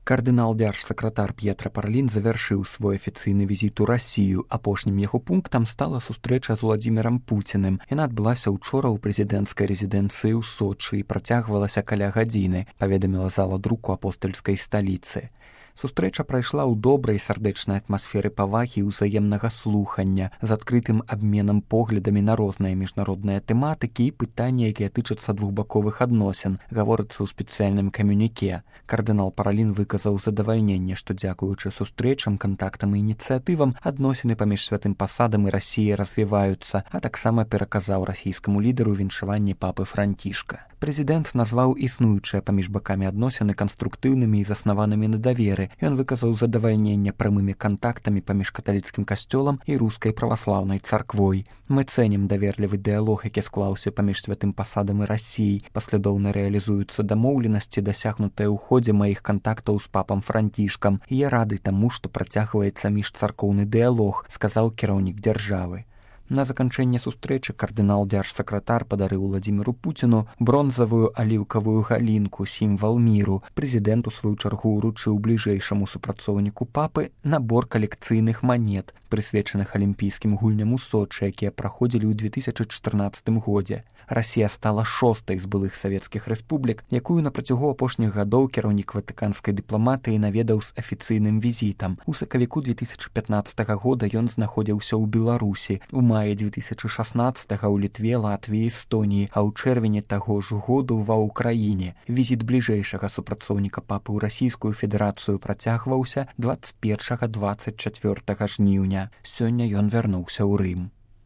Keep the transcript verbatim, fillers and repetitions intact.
Кардынал дзяржсакратар П'етра Паралін завяршыў свой афіцыйны візіт у Расію. Апошнім яго пунктам стала сустрэча з Уладзімірам Пуціным. Яна адбылася ўчора ў прэзідэнцкай рэзідэнцыі ў Сочы і працягвалася каля гадзіны, паведаміла зала друку апостальскай сталіцы. Сустрэча прайшла ў добрай сардэчнай атмасферы павагі і ўзаемнага слухання з адкрытым абменам поглядамі на розныя міжнародныя тэматыкі і пытанні, якія тычацца двухбаковых адносін, гаворыцца ў спецыяльным камюніке. Кардынал Паралін выказаў задавальненне, што дзякуючы сустрэчам, кантактам і ініцыятывам адносіны паміж святым пасадам і Расіяй развіваюцца, а таксама пераказаў расійскаму лідару віншаванне папы Францішка. Прэзідэнт назваў існуючыя паміж бакамі адносіны канструктыўнымі і заснаванымі на даверы. Ён выказаў задавальненне прамымі кантактамі паміж каталіцкім касцёлам і рускай праваслаўнай царквой. Мы цэнім даверлівы дыялог, які склаўся паміж святым пасадам і Расіяй. Паслядоўна рэалізуюцца дамоўленасці, дасягнутыя ў ходзе маіх кантактаў з папам Францішкам. І я рады таму, што працягваецца міжцаркоўны дыялог, сказаў кіраўнік дзяржавы. На заканчэнне сустрэчы кардынал дзяржсакратар падарыў Уладзіміру Пуціну бронзавую аліўкавую галінку, сімвал міру. Прэзідэнт у сваю чаргу ўручыў бліжэйшаму супрацоўніку папы набор калекцыйных манет, прысвечаных алімпійскім гульням у Сочы, якія праходзілі ў две тысячы чатырнаццатым годзе. Расія стала шостай з былых савецкіх рэспублік, якую на працягу апошніх гадоў кіраўнік ватыканскай дыпламатыі наведаў з афіцыйным візітам. У сакавіку две тысячы пятнаццатага года ён знаходзіўся ў Беларусі, у маі две тысячы шаснаццатага ў Літве, Латвіі, Эстоніі, а ў чэрвені таго ж году ва ўкраіне. Візіт бліжэйшага супрацоўніка папы ў Расійскую Федэрацыю працягваўся дваццаць першага - дваццаць чацвёртага жніўня. Сёння ён вярнуўся ў Рым.